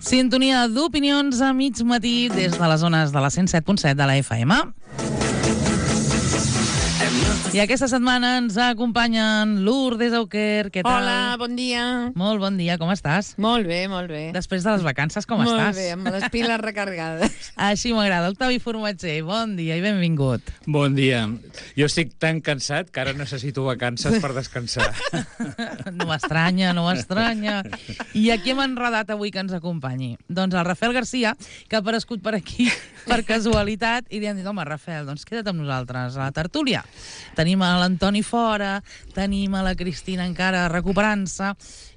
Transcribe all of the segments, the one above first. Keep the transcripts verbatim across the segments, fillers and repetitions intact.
Sintonia d'opinions a mig matí des de les zones de la cent set punt set de la F M. I aquesta setmana ens acompanyen Lourdes Auquer. Què tal? Hola, bon dia. Molt bon dia, com estàs? Molt bé, molt bé. Després de les vacances, com molt estàs? Molt bé, amb les piles recarregades. Així m'agrada. Octavi Formatger, bon dia i benvingut. Bon dia. Jo estic tan cansat que ara necessito vacances per descansar. No m'estranya, no m'estranya. I a qui hem enredat avui que ens acompanyi? Doncs el Rafael Garcia, que ha aparegut per aquí per casualitat, i li han dit, home, Rafael, doncs queda't amb nosaltres a la tertúlia. Tenim a l'Antoni fora, tenim a la Cristina encara recuperant-se,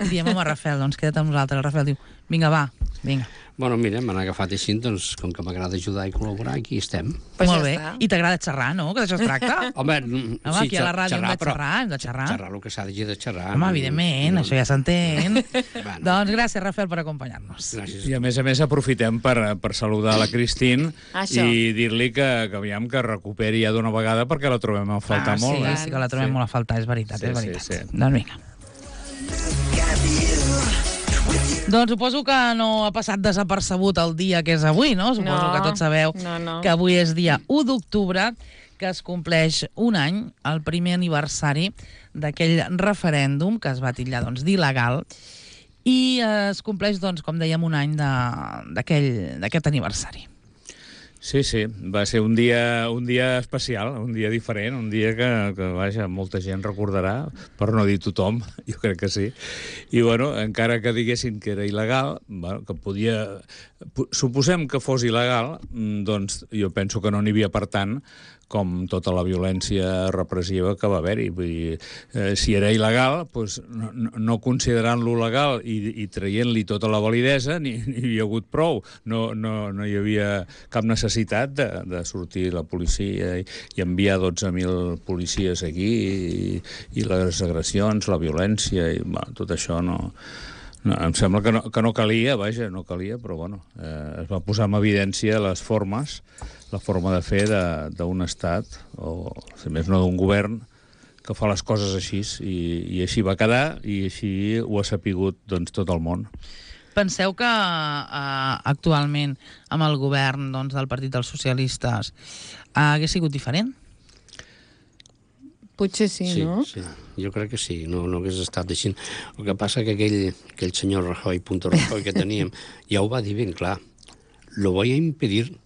i diem, home, Rafael, doncs queda't amb nosaltres. El Rafael diu, vinga, va, vinga. Bueno, mira, m'han agafat així, doncs, com que m'agrada ajudar i col·laborar, aquí estem. Pues molt ja bé. està. I t'agrada xerrar, no? Que d'això es tracta? Home, Home, sí, aquí a la ràdio hem de però xerrar, hem de xerrar. Xerrar el que s'ha de xerrar. Home, evidentment, això ja s'entén. Bueno. Doncs gràcies, Rafael, per acompanyar-nos. Gràcies. I a més a més aprofitem per, per saludar la Cristín Això. i dir-li que, que aviam que recuperi ja d'una vegada perquè la trobem a faltar ah, molt. sí, eh? sí que la trobem Sí. molt a faltar, és veritat, Sí, és sí, veritat. sí. Doncs vinga. Doncs suposo que no ha passat desapercebut el dia que és avui, no? Suposo No, que tots sabeu no, no. que avui és dia u d'octubre, que es compleix un any, el primer aniversari d'aquell referèndum que es va titllar doncs, d'il·legal, i eh, es compleix, doncs, com dèiem, un any de- d'aquell- d'aquest aniversari. Sí, sí, va ser un dia, un dia especial, un dia diferent, un dia que, que vaja, molta gent recordarà, per no dir tothom, jo crec que sí. I, bueno, encara que diguessin que era il·legal, bueno, que podia... Suposem que fos il·legal, mm, doncs jo penso que no n'hi havia per tant com tota la violència repressiva que va haver-hi. Vull dir, eh, si era il·legal, doncs no, no, no considerant-lo legal i, i traient-li tota la validesa, ni, ni hi havia hagut prou. No, no, no hi havia cap necessitat de, de sortir la policia i, i enviar dotze mil policies aquí i, i les agressions, la violència, i bueno, tot això no... No, em sembla que no, que no calia, vaja, no calia, però bueno, eh, es va posar en evidència les formes, la forma de fer d'un estat, o si més no d'un govern, que fa les coses així, i, i així va quedar, i així ho ha sapigut doncs, tot el món. Penseu que eh, actualment amb el govern doncs, del Partit dels Socialistes eh, hagués sigut diferent? Potser sí, Sí, no? sí, jo crec que sí, no, no hagués estat així. El que passa que aquell, aquell senyor Rajoy, punto Rajoy, que teníem, ja ho va dir ben clar. Lo voy a impedir,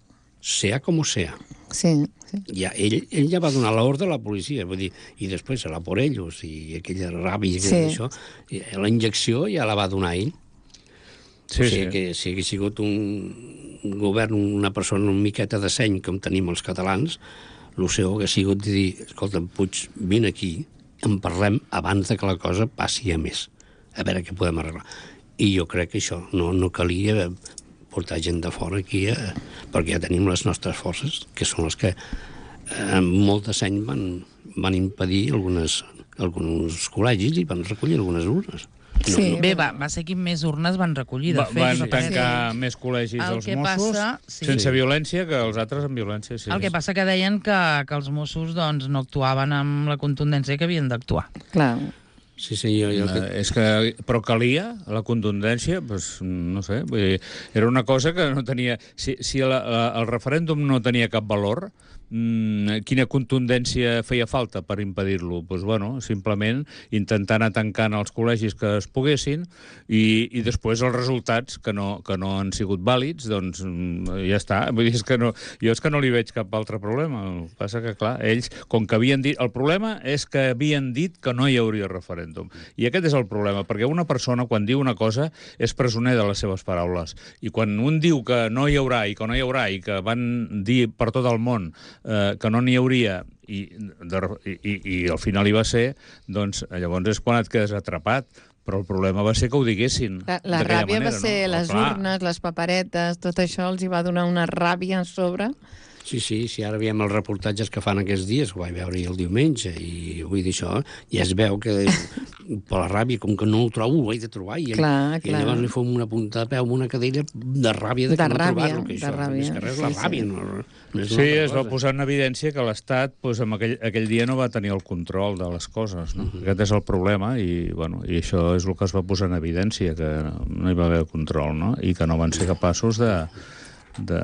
sea como sea. Sí, sí. Ja, ell, ell ja va donar l'ordre a la policia, vull dir, i després serà por ellos, i aquella ràbia, Sí. això, i la injecció ja la va donar ell. Sí, o sigui sí. que si hagués sigut un, un govern, una persona una miqueta de seny, com tenim els catalans, el seu hagués sigut de dir, escolta, Puig, vine aquí, en parlem abans de que la cosa passi a més, a veure què podem arreglar. I jo crec que això no, no calia portar gent de fora aquí, eh, perquè ja tenim les nostres forces, que són les que eh, amb molt de seny van, van impedir algunes, alguns col·legis i van recollir algunes urnes. Sí. Bé, va, va ser qui més urnes van recollir, de Va, fet. van i va ser- tancar més col·legis El els que Mossos, passa- sí. sense violència, que els altres amb violència. Sí. El que passa que deien que, que els Mossos doncs, no actuaven amb la contundència que havien d'actuar. Clar. Sí, sí, jo... jo Eh, és que, però calia la contundència, doncs, no sé, vull dir, era una cosa que no tenia... Si, si la, la, el referèndum no tenia cap valor, mmm, quina contundència feia falta per impedir-lo? Doncs, bueno, simplement intentar anar tancant els col·legis que es poguessin i, i després els resultats que no, que no han sigut vàlids, doncs mm, ja està. Vull dir, és que no, jo és que no li veig cap altre problema. El que passa que, clar, ells, com que havien dit... El problema és que havien dit que no hi hauria referèndum. I aquest és el problema, perquè una persona, quan diu una cosa, és presoner de les seves paraules. I quan un diu que no hi haurà i que no hi haurà i que van dir per tot el món eh, que no n'hi hauria i, de, i, i al final hi va ser, doncs llavors és quan et quedes atrapat. Però el problema va ser que ho diguessin. La, la d'aquella ràbia manera, va ser no? les Clar. urnes, les paperetes, tot això els hi va donar una ràbia a sobre. Sí, sí, sí, ara veiem els reportatges que fan aquests dies, ho vaig veure el diumenge, i vull dir això, ja es veu que per la ràbia, com que no ho trobo, ho he de trobar, i, Clar, i clar. llavors li fom una punta de peu amb una cadella de ràbia de, De que no ràbia, trobar-lo, que de això, ràbia, més que res, sí, la sí. ràbia, no, no és Sí, una altra es va cosa. posar en evidència que l'Estat doncs, amb aquell, aquell dia no va tenir el control de les coses. No? Uh-huh. Aquest és el problema i, bueno, i això és el que es va posar en evidència, que no hi va haver control, no? I que no van ser capaços de, de,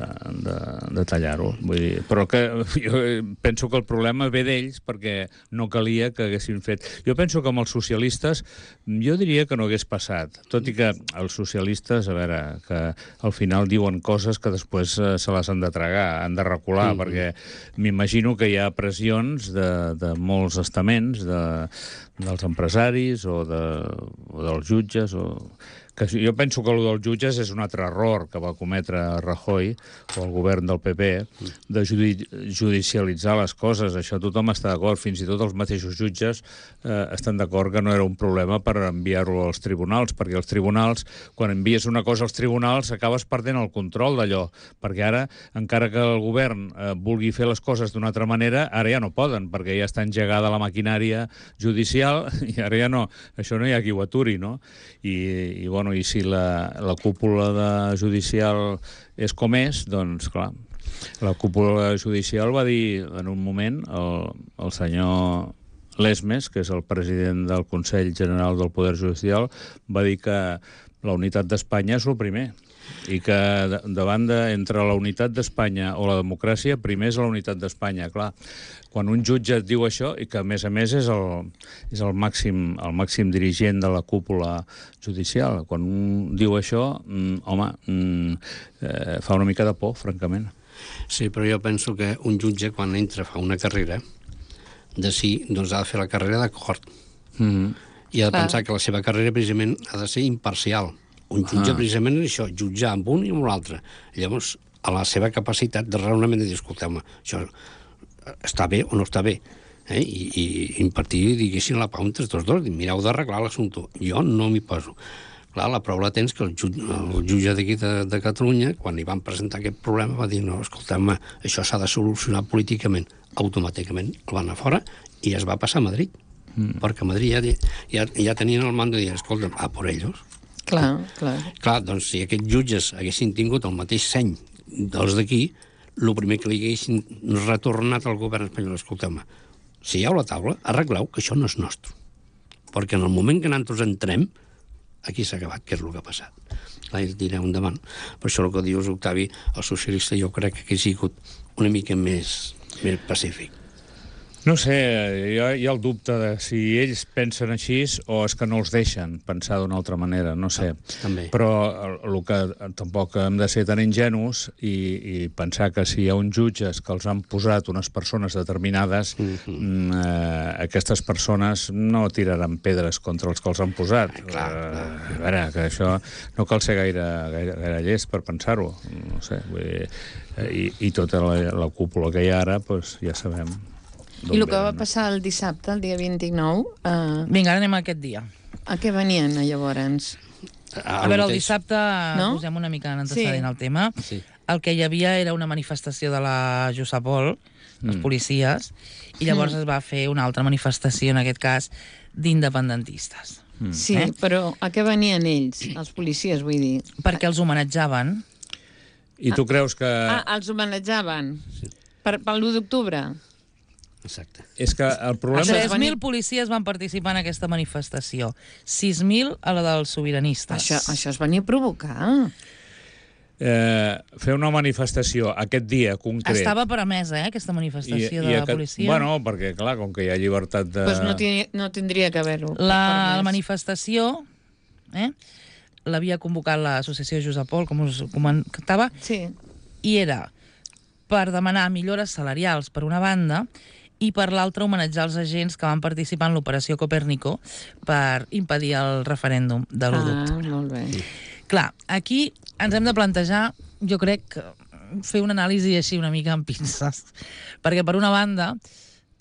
de, de tallar-ho. Vull dir, però que jo penso que el problema ve d'ells perquè no calia que haguessin fet... Jo penso que amb els socialistes jo diria que no hagués passat, tot i que els socialistes, a veure, que al final diuen coses que després eh, se les han de tragar, han de recular, mm-hmm. perquè m'imagino que hi ha pressions de, de molts estaments, de, dels empresaris o, de, o dels jutges, o... que jo penso que el dels jutges és un altre error que va cometre Rajoy o el govern del P P de judi judicialitzar les coses. Això tothom està d'acord, fins i tot els mateixos jutges eh, estan d'acord que no era un problema per enviar-lo als tribunals, perquè els tribunals, quan envies una cosa als tribunals, acabes perdent el control d'allò, perquè ara, encara que el govern eh, vulgui fer les coses d'una altra manera, ara ja no poden, perquè ja està engegada la maquinària judicial i ara ja no, això no hi ha qui ho aturi, no? I, i bueno, i si la, la cúpula de judicial és com és, doncs, clar, la cúpula judicial va dir en un moment, el, el senyor Lesmes, que és el president del Consell General del Poder Judicial, va dir que la unitat d'Espanya és el primer, i que davant de, entre la unitat d'Espanya o la democràcia, primer és la unitat d'Espanya, clar. Quan un jutge et diu això, i que a més a més és el, és el, màxim, el màxim dirigent de la cúpula judicial, quan un diu això, mm, home, mm, eh, fa una mica de por, francament. Sí, però jo penso que un jutge, quan entra, fa una carrera, de sí, doncs ha de fer la carrera d'acord. Mm-hmm. I ha de Clar. pensar que la seva carrera, precisament, ha de ser imparcial. Un jutge, Ah. precisament, és això, jutjar amb un i amb l'altre. Llavors, a la seva capacitat de raonament de dir, escolteu-me, això està bé o no està bé, eh? I, i impartir, diguéssim, la pau entre tots dos, dir, mireu d'arreglar l'assumpte. Jo no m'hi poso. Clar, la prova la tens que el, jutge, el jutge d'aquí de, de Catalunya, quan li van presentar aquest problema, va dir, no, escolteu-me, això s'ha de solucionar políticament. Automàticament el van a fora i es va passar a Madrid. Mm. Perquè a Madrid ja, ja, ja tenien el mando de dir, escolta, a por ellos. Clar, clar. Clar, doncs si aquests jutges haguessin tingut el mateix seny dels d'aquí, el primer que li haguessin retornat al govern espanyol, escolteu-me, si hi ha la taula, arregleu que això no és nostre. Perquè en el moment que nosaltres entrem, aquí s'ha acabat, que és el que ha passat. Clar, i direu endavant. Per això el que dius, Octavi, el socialista, jo crec que ha sigut una mica més, més pacífic. No sé, hi ha, hi ha el dubte de si ells pensen així o és que no els deixen pensar d'una altra manera, no sé. Ah, també. Però el, el que tampoc hem de ser tan ingenus i, i pensar que si hi ha uns jutges que els han posat unes persones determinades, mm-hmm. eh, aquestes persones no tiraran pedres contra els que els han posat. Ah, clar, clar. Eh, a veure, que això no cal ser gaire, gaire, gaire llest per pensar-ho, no sé. Vull dir, eh, i, i tota la, la cúpula que hi ha ara, doncs ja sabem. I el que va passar el dissabte, el dia vint-i-nou, eh, Vinga, ara anem a aquest dia. a què venien, llavors? A veure, el dissabte No? posem una mica en antecedent Sí. al tema. Sí. El que hi havia era una manifestació de la Jusapol, els policies, i llavors es va fer una altra manifestació, en aquest cas, d'independentistes. Sí, Eh? però a què venien ells, els policies, vull dir? Perquè els homenatjaven. I tu creus que... Ah, els homenatjaven per, per l'u d'octubre? Exacte. És que el problema... Això és tres mil policies van participar en aquesta manifestació. sis mil a la dels sobiranistes. Això, això es venia a provocar. Eh, fer una manifestació aquest dia concret... Estava permesa, eh, aquesta manifestació de la aquest- policia. Bueno, perquè, clar, com que hi ha llibertat de... Doncs no, tini, no tindria que haver-ho. La, la manifestació eh, l'havia convocat l'associació Jusapol, com us comentava, Sí. i era per demanar millores salarials per una banda i per l'altra homenatjar els agents que van participar en l'operació Copèrnico per impedir el referèndum de l'u d'octubre. Ah, molt bé. Clar, aquí ens hem de plantejar, jo crec, fer una anàlisi així una mica amb pinces. Perquè, per una banda,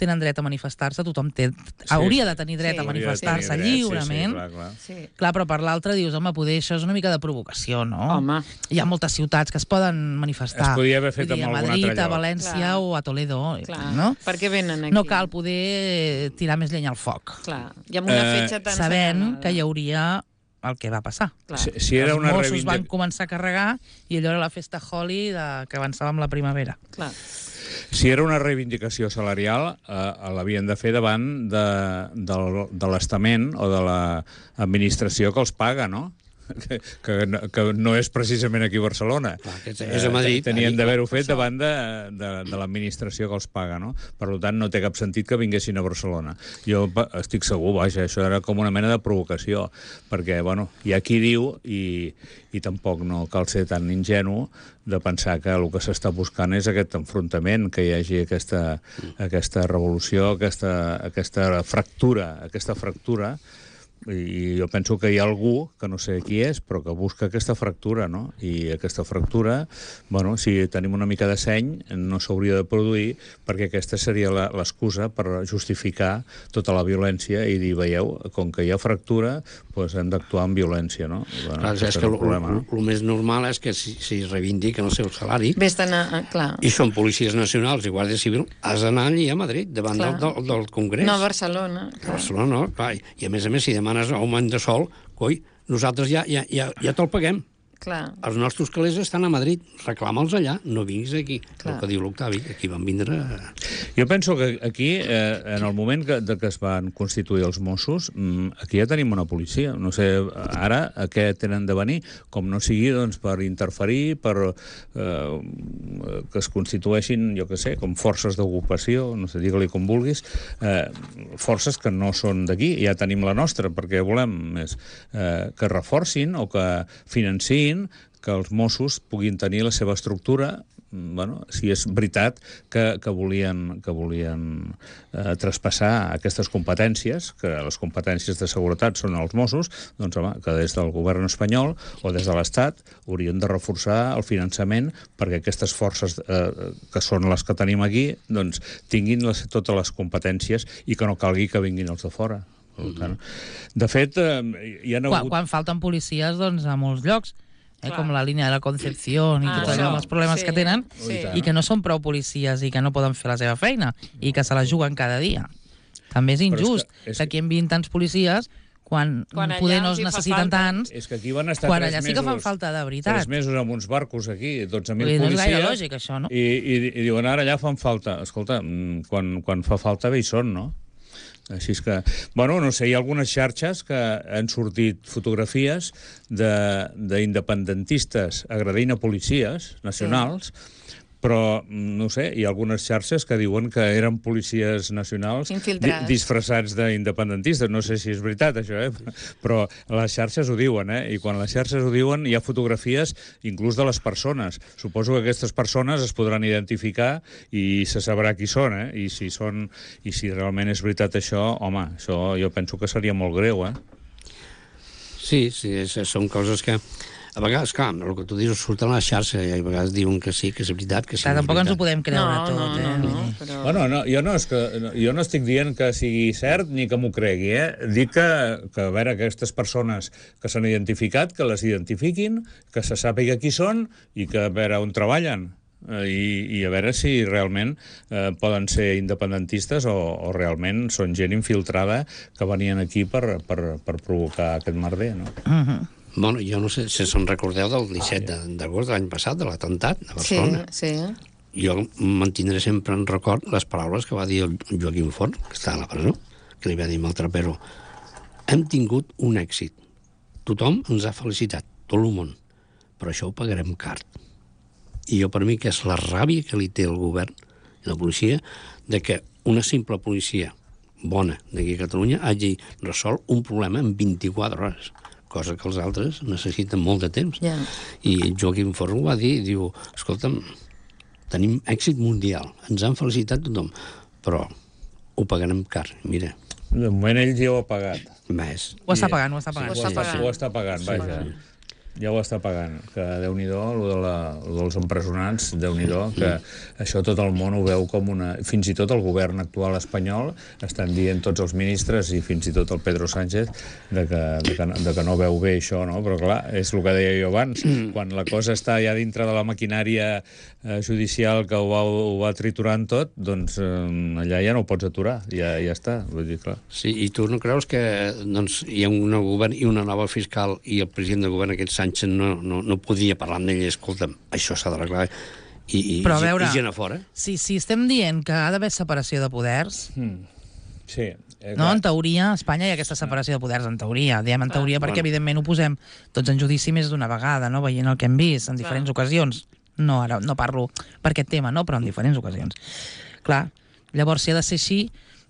tenen dret a manifestar-se, tothom té, hauria de tenir dret Sí. a Hauria de manifestar-se tenir dret, lliurement. Sí, sí, clar, clar. Sí. Clar, però per l'altre dius, home, poder això és una mica de provocació, no? Home. Hi ha moltes ciutats que es poden manifestar. Es podia haver fet Vull dir, en a algun Madrid, altre a lloc. València Clar. o a Toledo, Clar. no? Per què venen aquí? No cal poder tirar més llenya al foc, Clar. I amb una Eh, fetge tan sabent assenyalada. que hi hauria el que va passar. Clar. Si, si era Els una Mossos reivindic- van començar a carregar i allò era la festa Holi de, que avançava amb la primavera. Clar. Si era una reivindicació salarial, eh, l'havien de fer davant de, de, de l'estament o de l'administració que els paga, no? Que, que, no- que no és precisament aquí a Barcelona. Clar, que és a Madrid. Tenien Allí, d'haver-ho per fet això. davant de, de, de l'administració que els paga, no? Per tant, no té cap sentit que vinguessin a Barcelona. Jo pa- estic segur, vaja, això era com una mena de provocació, perquè, bueno, hi ha qui diu, i, i tampoc no cal ser tan ingenu, de pensar que el que s'està buscant és aquest enfrontament, que hi hagi aquesta, aquesta revolució, aquesta, aquesta fractura, aquesta fractura, i jo penso que hi ha algú, que no sé qui és, però que busca aquesta fractura, no? I aquesta fractura, bueno, si tenim una mica de seny, no s'hauria de produir, perquè aquesta seria la- l'excusa per justificar tota la violència i dir, veieu, com que hi ha fractura, doncs hem d'actuar amb violència, no? I, bueno, Clar, és aquest que el el, problema, no? el més normal és que si, si es reivindiquen el seu salari Ves d'anar... Clar. i són policies nacionals i guàrdia civil, has d'anar allà a Madrid, davant del, Clar. del, del Congrés. No, a Barcelona. A Barcelona, no, clar. I a més a més, si demanes augment de sou, coi, nosaltres ja, ja, ja, ja te'l paguem. Clar. Els nostres calés estan a Madrid, reclama'ls allà, no vinguis aquí. Clar. El que diu l'Octavi, aquí van vindre... Jo penso que aquí, eh, en el moment que, de que es van constituir els Mossos, mm, aquí ja tenim una policia. No sé, ara a què tenen de venir? Com no sigui, doncs, per interferir, per eh, que es constitueixin, jo què sé, com forces d'ocupació, no sé, digue-li com vulguis, eh, forces que no són d'aquí. Ja tenim la nostra, perquè volem més eh, que reforcin o que financin que els Mossos puguin tenir la seva estructura, bueno, si és veritat que, que volien, que volien eh, traspassar aquestes competències, que les competències de seguretat són els Mossos, doncs home, que des del govern espanyol o des de l'Estat haurien de reforçar el finançament perquè aquestes forces eh, que són les que tenim aquí, doncs tinguin les, totes les competències i que no calgui que vinguin els de fora. Per tant, de fet, eh, hi ha Quan, hagut... quan falten policies, doncs, a molts llocs, eh, Clar. com la línia de la Concepción i Ah, tot allò, això. amb els problemes Sí, que tenen, sí. i que no són prou policies i que no poden fer la seva feina, i que se la juguen cada dia. També és és injust que- és que aquí hi enviïn tants policies quan, Quan allà poder no els es hi fa necessiten falta. tants, És que aquí van estar quan tres allà sí mesos, que fan falta de veritat. Tres mesos amb uns barcos aquí, dotze mil Vull dir, no és policies. gaire lògic, això, no? I, i, I diuen, ara allà fan falta. Escolta, mm, quan, quan fa falta bé hi són, no? Així és que, bueno, no sé, hi ha algunes xarxes que han sortit fotografies de- d'independentistes agredint a policies nacionals, però, no sé, hi ha algunes xarxes que diuen que eren policies nacionals Infiltrats. di disfressats d'independentistes. No sé si és veritat, això, eh? Però les xarxes ho diuen, eh? I quan les xarxes ho diuen hi ha fotografies inclús de les persones. Suposo que aquestes persones es podran identificar i se sabrà qui són, eh? I si, són, i si realment és veritat això, home, això jo penso que seria molt greu, eh? Sí, sí, és, són coses que... A vegades, clar, el que tu dius surt a la xarxa i a vegades diuen que sí, que és veritat, que sí. Clar, que és tampoc ens ho veritat. podem creure No, tot, no, eh? no, Vull no, dir. però... Bueno, no, jo, no és que, jo no estic dient que sigui cert ni que m'ho cregui, eh? Dic que, que, a veure, aquestes persones que s'han identificat, que les identifiquin, que se sàpiga qui són i que, a veure, on treballen. Eh, I, i a veure si realment eh, poden ser independentistes o, o realment són gent infiltrada que venien aquí per, per, per provocar aquest merder, no? Mhm. Bueno, jo no sé si se'n recordeu del disset d'agost de l'any passat, de l'atemptat a Sí, Barcelona. sí. Jo mantindré sempre en record les paraules que va dir el Joaquim Forn, que està a la presó, que li va dir al trapero: hem tingut un èxit. Tothom ens ha felicitat, tot el món, però això ho pagarem car. I jo, per mi, que és la ràbia que li té el govern i la policia, de que una simple policia bona d'aquí a Catalunya hagi resolt un problema en vint-i-quatre hores, cosa que els altres necessiten molt de temps. Ja. I Joaquim Forn ho va dir, diu, escolta'm, tenim èxit mundial, ens han felicitat tothom, però ho pagarem car. Mira, De moment ell ja ho ha pagat. més. Ho està pagant, ho està pagant. Ho està pagant. Ho està pagant, Ho està vaja. pagant. ja ho està pagant, que Déu-n'hi-do, lo de la, lo dels empresonats, Déu-n'hi-do, que això tot el món ho veu com una... Fins i tot el govern actual espanyol estan dient tots els ministres i fins i tot el Pedro Sánchez de que, de que, de que no veu bé això, no? Però clar, és el que deia jo abans, quan la cosa està ja dintre de la maquinària eh, judicial que ho va, ho va triturant tot, doncs eh, allà ja no ho pots aturar, ja, ja està, vull dir, clar. Sí, i tu no creus que doncs, hi ha un nou govern i una nova fiscal i el president del govern, aquest Sánchez, no, no, no podia parlar amb ell, escolta'm, això s'ha d'arreglar, i, i, Però a veure, i gent a fora? Si, si estem dient que ha d'haver separació de poders, Mm. Sí. Eh, no, en teoria, a Espanya hi ha aquesta separació de poders, en teoria. Diem en teoria perquè, bueno. evidentment, ho posem tots en judici més d'una vegada, no? Veient el que hem vist en diferents ocasions. No, ara no parlo per aquest tema, no? Però en diferents ocasions. Clar, llavors, si ha de ser així,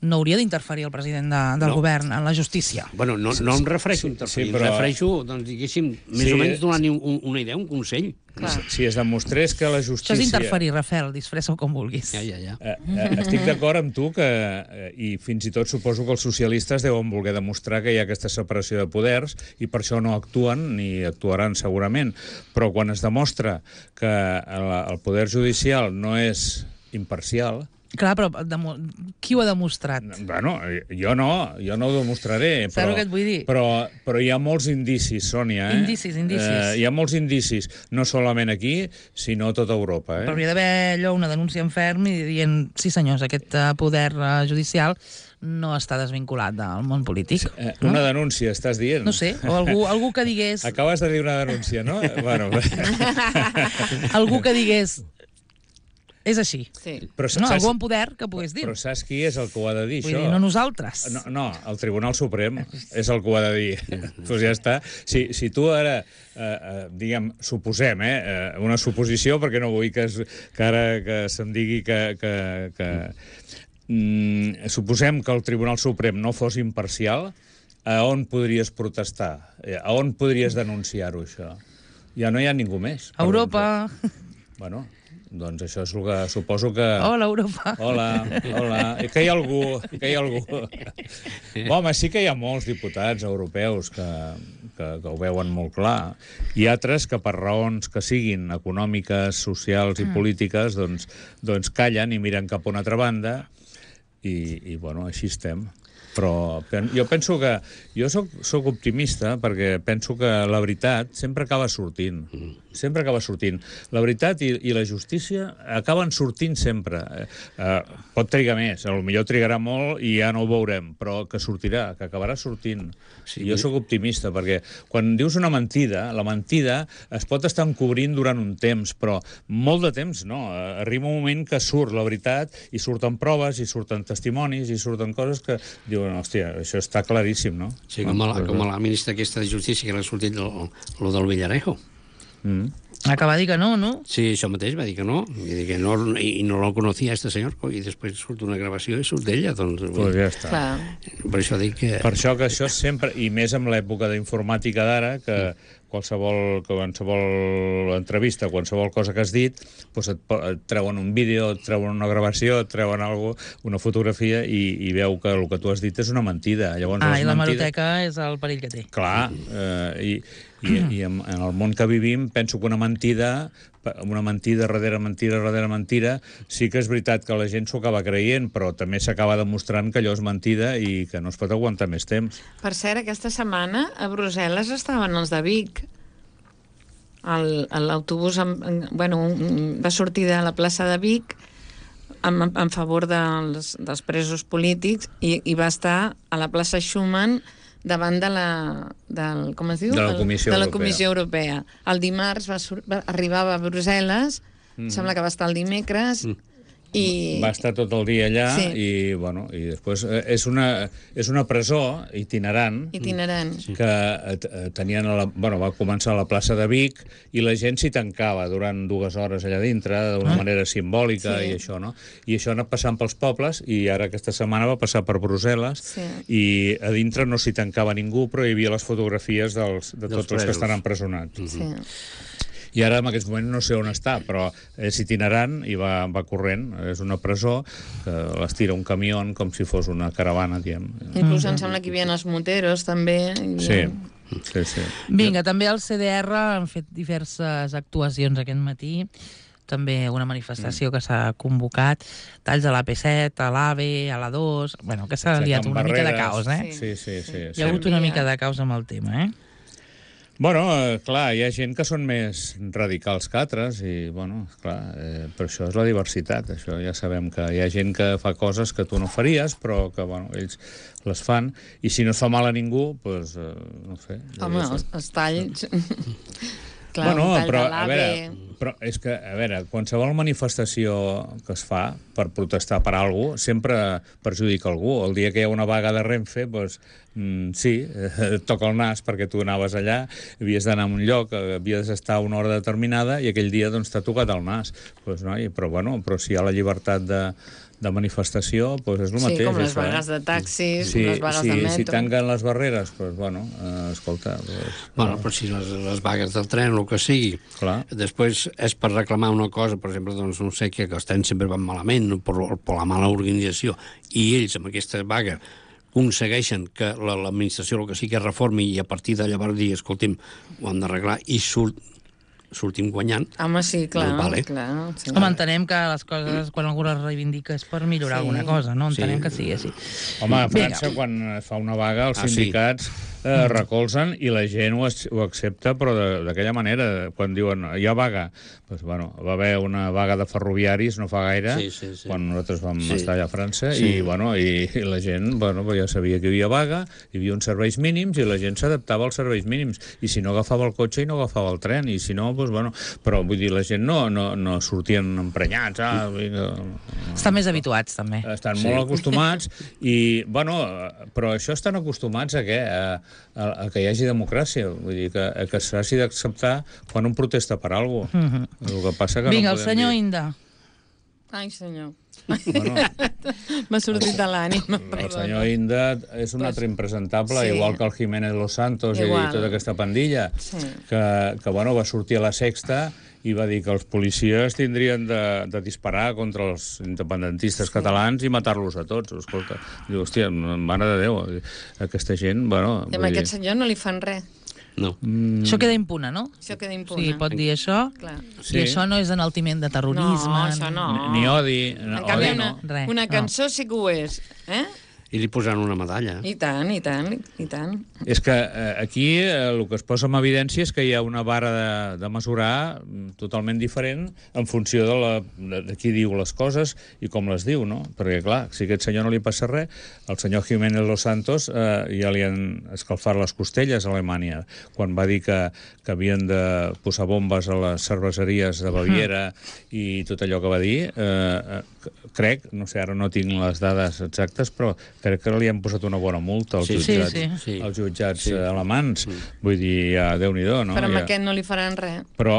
no hauria d'interferir el president de, del No. govern en la justícia. Bueno, no, no em refereixo a interferir, sí, però- em refereixo, doncs, diguéssim, més Sí. o menys donant un, un, una idea, un consell. Clar. Si es demostrés que la Això justícia... és interferir, Rafael, disfressa-ho com vulguis. Ja, ja, ja. Eh, eh, estic d'acord amb tu que, eh, i fins i tot suposo que els socialistes deuen voler demostrar que hi ha aquesta separació de poders i per això no actuen ni actuaran segurament. Però quan es demostra que el, el poder judicial no és imparcial... Clar, però demo... qui ho ha demostrat? Bueno, jo no, jo no ho demostraré. Saps Però, el que et vull dir? Però, però hi ha molts indicis, Sònia. Eh? Indicis, indicis. Eh, hi ha molts indicis, no solament aquí, sinó a tota Europa. Eh? Però hauria d'haver allò una denúncia en ferm i dient, sí senyors, aquest eh, poder eh, judicial no està desvinculat del món polític. Eh, no? Una denúncia, estàs dient? No sé, o algú, algú que digués... Acabes de dir una denúncia, no? bueno, algú que digués... És així. Sí. però, No, saps, algú en poder que pogués dir. però saps qui és el que ho ha de dir, Vull això? dir, no nosaltres. No, no, el Tribunal Suprem és el que ho ha de dir. Doncs ja està. Si, si tu ara, eh, eh, diguem, suposem, eh, eh, una suposició, perquè no vull que, es, que ara que se'm digui que... que, que mm, suposem que el Tribunal Suprem no fos imparcial, a on podries protestar? A on podries denunciar-ho, això? Ja no hi ha ningú més. A Europa... Bueno, doncs això és el que suposo que... Hola, Europa. Hola, hola. I que hi ha algú, que hi ha algú. Home, sí que hi ha molts diputats europeus que, que, que ho veuen molt clar. I altres que per raons que siguin econòmiques, socials i Mm. polítiques, doncs, doncs callen i miren cap a una altra banda i, i bueno, així estem. Però pen- jo penso que... Jo soc, soc optimista perquè penso que la veritat sempre acaba sortint. Sempre acaba sortint. La veritat i, i la justícia acaben sortint sempre. Eh, eh, pot trigar més, potser trigarà molt i ja no ho veurem, però que sortirà, que acabarà sortint. Sí, Sí, jo sóc optimista perquè quan dius una mentida, la mentida es pot estar encobrint durant un temps, però molt de temps no. Arriba un moment que surt la veritat i surten proves, i surten testimonis, i surten coses que diuen, hòstia, això està claríssim, no? Sí, com, a la, com a la ministra aquesta de Justícia que l'ha sortit lo, lo del Villarejo. Mm. Acaba de dir que no, no? Sí, això mateix, va dir que no, i, dir que no, i no lo conocía este senyor, i després surt una gravació i surt d'ella, doncs... Pues ja està. Clar. Per això dic que... Per això que això sempre, i més amb l'època d'informàtica d'ara, que qualsevol, qualsevol entrevista, qualsevol cosa que has dit, doncs et, po- et treuen un vídeo, et treuen una gravació, et treuen algo, una fotografia, i, i veu que el que tu has dit és una mentida. Llavors, Ah, les i la mentides- hemeroteca és el perill que té. Clar, eh, i, i, i en, en el món que vivim penso que una mentida, una mentida darrere mentida darrere mentida, sí que és veritat que la gent s'ho acaba creient, però també s'acaba demostrant que allò és mentida i que no es pot aguantar més temps. Per cert, aquesta setmana a Brussel·les estaven els de Vic. El- L'autobús amb- en- bueno, un- va sortir de la plaça de Vic en, en favor dels, dels presos polítics i, i va estar a la plaça Schumann davant de la, del, com es diu? De la Comissió de la Europea. Comissió Europea. El dimarts va, sur- va, arribava a Brussel·les, mm. sembla que va estar el dimecres, mm. i... Va estar tot el dia allà Sí. i, bueno, i després eh, és una, és una presó itinerant itinerant. que eh, t- eh, tenien a la, bueno, va començar a la plaça de Vic i la gent s'hi tancava durant dues hores allà dintre d'una Ah. manera simbòlica Sí. i això, no? I això ha anat passant pels pobles i ara aquesta setmana va passar per Brussel·les Sí. i a dintre no s'hi tancava ningú, però hi havia les fotografies dels, de Dels tots els que presos. estan empresonats. Sí. I ara, en aquests moments, no sé on està, però és itinerant i va, va corrent. És una presó que les tira un camió com si fos una caravana, diem. Inclús em sembla que hi havia els moteros, també. Sí, sí, sí. Vinga, també el C D R han fet diverses actuacions aquest matí, també una manifestació que s'ha convocat, talls a l'A P set, a l'AVE, a l'A dos... Bueno, que s'ha liat una mica de caos, eh? Sí, sí, sí. Hi ha hagut una mica de caos amb el tema, eh? Bueno, eh, clar, hi ha gent que són més radicals que altres i, bueno, clar, eh, per això és la diversitat. Això ja sabem que hi ha gent que fa coses que tu no faries, però que, bueno, ells les fan, i si no es fa mal a ningú, doncs, eh, no sé. Home, els, els talls... Clar, bueno, un tall però, de a l'AVE... veure, però és que, a veure, qualsevol manifestació que es fa per protestar per alguna cosa sempre perjudica algú. El dia que hi ha una vaga de Renfe, doncs, mm, sí, eh, et toca el nas perquè tu anaves allà, havies d'anar a un lloc, havies d'estar a una hora determinada i aquell dia doncs, t'ha tocat el nas. Pues, no? I, però, bueno, però si hi ha la llibertat de, de manifestació, doncs és el mateix. Sí, com les això, vagues eh? de taxis, sí, les vagues sí, de metro... Si tanquen les barreres, doncs, bueno, eh, escolta... Doncs, bueno, però si les, les vagues del tren, el que sigui, clar. Després és per reclamar una cosa, per exemple, doncs no sé, que els trens sempre van malament, per, per la mala organització, i ells, amb aquesta vaga, aconsegueixen que l'administració el que sí que reformi i a partir de llavors dir, escolti'm, ho han d'arreglar, i surt sortim guanyant. Home, sí, clar. Doncs vale. clar sí. Home, entenem que les coses, quan algú les reivindica, és per millorar sí. alguna cosa, no? Entenem sí. que sigui així. Home, a França, Vinga. quan es fa una vaga, els ah, sindicats sí. eh, recolzen i la gent ho, ho accepta, però d'aquella manera, quan diuen hi ha vaga, doncs, bueno, va haver una vaga de ferroviaris no fa gaire, sí, sí, sí. quan nosaltres vam sí. estar allà a França, sí. i, bueno, i, i la gent bueno, ja sabia que hi havia vaga, hi havia uns serveis mínims i la gent s'adaptava als serveis mínims, i si no agafava el cotxe i no agafava el tren, i si no, doncs, bueno, però vull dir, la gent no, no, no sortien emprenyats. Ah, vinga. Estan més habituats, també. Estan sí. molt acostumats i, bueno, però això estan acostumats a què? A, a, a que hi hagi democràcia. Vull dir, que, que s'hagi d'acceptar quan un protesta per alguna cosa. Mm -hmm. El que passa que Vinga, no el senyor dir... Inda. Ai, senyor. Bueno, m'ha sortit de l'ànima. El senyor Inda és un altre impresentable, sí. igual que el Jiménez Los Santos igual. i tota aquesta pandilla, sí. que, que bueno, va sortir a la Sexta i va dir que els policies tindrien de, de disparar contra els independentistes sí. catalans i matar-los a tots. Escolta, diu, hòstia, mare de Déu, aquesta gent, bueno... I a aquest senyor no li fan res. No. Mm. Això queda impune, no? Això queda impune. Sí, pot dir això. Clar. Sí. I això no és enaltiment de terrorisme. No, això no. Ni, ni odi. En odi canvi, no. una, una cançó no. sí que ho és. Eh? I li posaran una medalla. I tant, i tant, i tant. És que eh, aquí eh, el que es posa en evidència és que hi ha una vara de, de mesurar totalment diferent en funció de, la, de, de qui diu les coses i com les diu, no? Perquè, clar, si a aquest senyor no li passa res, el senyor Jiménez Los Santos eh, ja li han escalfat les costelles a Alemanya, quan va dir que, que havien de posar bombes a les cerveseries de Baviera uh-huh. i tot allò que va dir, eh, crec, no sé, ara no tinc les dades exactes, però crec que li han posat una bona multa als sí, jutjats, sí, sí. als jutjats sí. alemans. Mm. Vull dir, ja, Déu-n'hi-do, no? Però amb ja. aquest no li faran res. Però,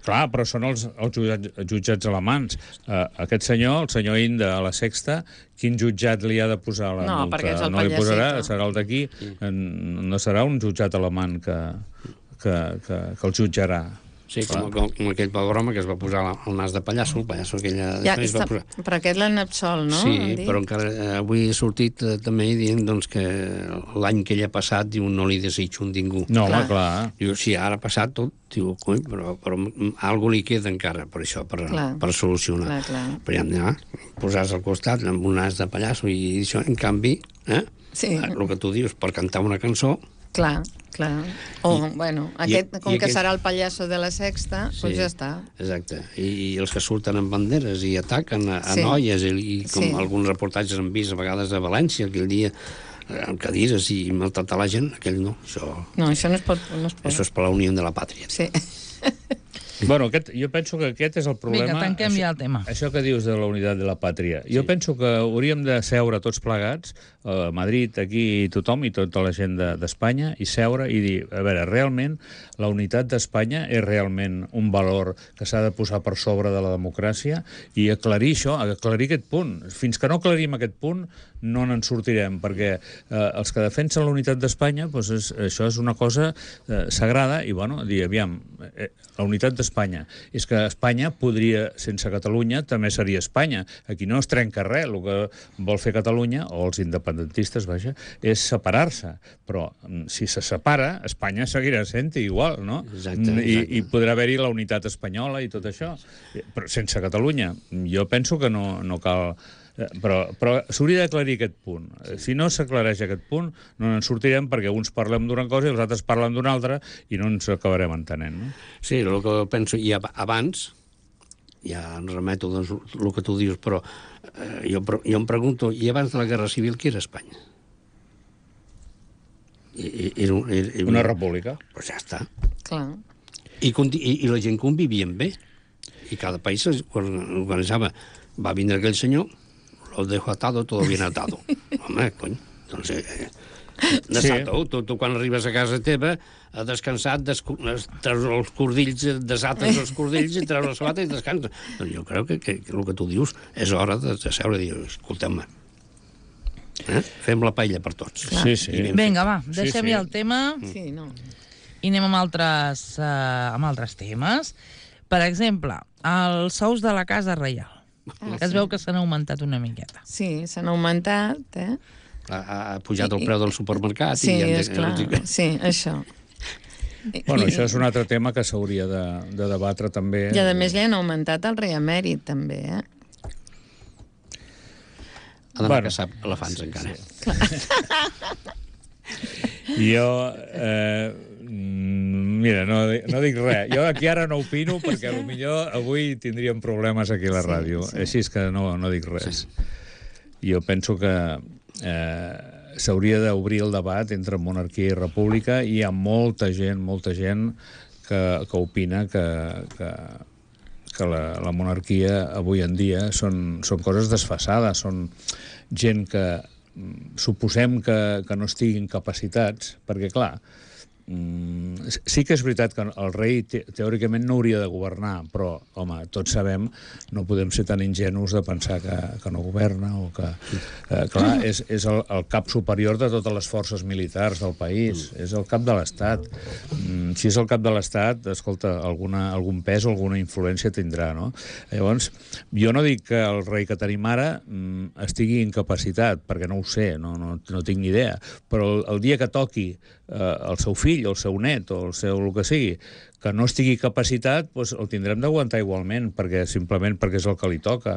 clar, però són els, els jutjats, jutjats alemans. Uh, aquest senyor, el senyor Inda, a la Sexta, quin jutjat li ha de posar la no, multa? Perquè és el no li posarà, pallecito. serà el d'aquí. Mm. No serà un jutjat alemany que, que, que, que el jutjarà. Sí, com, com, com aquell pogroma que es va posar el nas de pallasso, el pallasso aquella... Ja, es va posar... Però aquest l'han absolt, no? Sí, però encara eh, avui he sortit eh, també dient doncs, que l'any que ell ha passat diu, no li desitjo un ningú. No, clar. home, clar. Diu, sí, ara ha passat tot, diu, coi, però, però algú li queda encara per això, per, per solucionar. Clar, clar. Però ja, ja posar-se al costat amb un nas de pallasso i això, en canvi, eh, sí. el que tu dius, per cantar una cançó... Clar, clar. O, I, bueno, aquest, com i que aquest... serà el pallasso de la Sexta, doncs sí, pues ja està. Exacte. I, I els que surten amb banderes i ataquen a, a sí. noies, i, i com sí. alguns reportatges han vist a vegades a València, aquell dia, amb cadires i maltratar la gent, aquell no. Això, no, això no es pot... No es pot. Això és per la Unió de la Pàtria. Sí. Bueno, aquest, jo penso que aquest és el problema... Vinga, tanquem això, ja el tema. Això que dius de la unitat de la pàtria. Jo sí. penso que hauríem de seure tots plegats a Madrid, aquí, tothom i tota la gent d'Espanya, i seure i dir, a veure, realment la unitat d'Espanya és realment un valor que s'ha de posar per sobre de la democràcia, i aclarir això, aclarir aquest punt. Fins que no aclarim aquest punt, no n'en sortirem, perquè eh, els que defensen la unitat d'Espanya, doncs és, això és una cosa eh, sagrada, i bueno, dir, aviam, eh, la unitat d'Espanya, és que Espanya podria, sense Catalunya, també seria Espanya. Aquí no es trenca res, el que vol fer Catalunya, o els independentistes, vaja, és separar-se, però si se separa, Espanya seguirà sent igual, no? Exacte, I, exacte. i podrà haver-hi la unitat espanyola i tot això, però sense Catalunya. Jo penso que no, no cal... Però, però s'hauria d'aclarir aquest punt. Si no s'aclareix aquest punt, no en sortirem, perquè uns parlem d'una cosa i els altres parlen d'una altra, i no ens acabarem entenent, no? Sí, el que penso, i abans, ja em remeto doncs, el que tu dius, però eh, jo, jo em pregunto, i abans de la Guerra Civil, què era Espanya? I, era, era, era, Una república. Pues ja està. Clar. I, i, i la gent convivien bé. I cada país organitzava. Va vindre aquell senyor, lo dejo atado, todo bien atado. Home, cony, doncs... Eh, desato, sí. tu, tu quan arribes a casa teva, ha descansat, treus els cordills, desates els cordills i treus la sabata i descansa. Doncs jo crec que, que, que el que tu dius és hora de, de seure i dir, escolteu-me, eh? fem la paella per tots. Clar. Sí, sí. Vinga, va, deixem sí, sí. ja el tema Sí, no. i anem amb altres, uh, amb altres temes. Per exemple, els sous de la Casa Reial. Ah, que es sí. veu que s'han augmentat una miqueta. Sí, s'han augmentat, eh? Ha, ha pujat el preu del supermercat. Sí, i és clar, sí, això. Bueno, I, això és un altre tema que s'hauria de, de debatre també. I a més li han augmentat el rei emèrit, també, eh? Ha d'anar Bueno, a caçar elefants, sí, encara. Sí. Jo... Eh, mira, no, no dic res. Jo aquí ara no opino perquè potser avui tindríem problemes aquí a la ràdio. Sí, sí. Així és que no, no dic res. Sí. Jo penso que eh, s'hauria d'obrir el debat entre monarquia i república, i hi ha molta gent, molta gent que, que opina que, que, que la, la monarquia avui en dia són, són coses desfasades, són gent que suposem que, que no estiguin capacitats, perquè clar, sí que és veritat que el rei te teòricament no hauria de governar, però, home, tots sabem, no podem ser tan ingenus de pensar que, que no governa, o que... Eh, clar, és, és el, el cap superior de totes les forces militars del país, és el cap de l'Estat. Mm, si és el cap de l'Estat, escolta, alguna, algun pes o alguna influència tindrà, no? Llavors, jo no dic que el rei que tenim ara mm, estigui incapacitat, perquè no ho sé, no, no, no tinc ni idea, però el, el dia que toqui eh, el seu fill, o el seu net, o el seu el que sigui, que no estigui capacitat, doncs el tindrem d'aguantar igualment, perquè simplement perquè és el que li toca.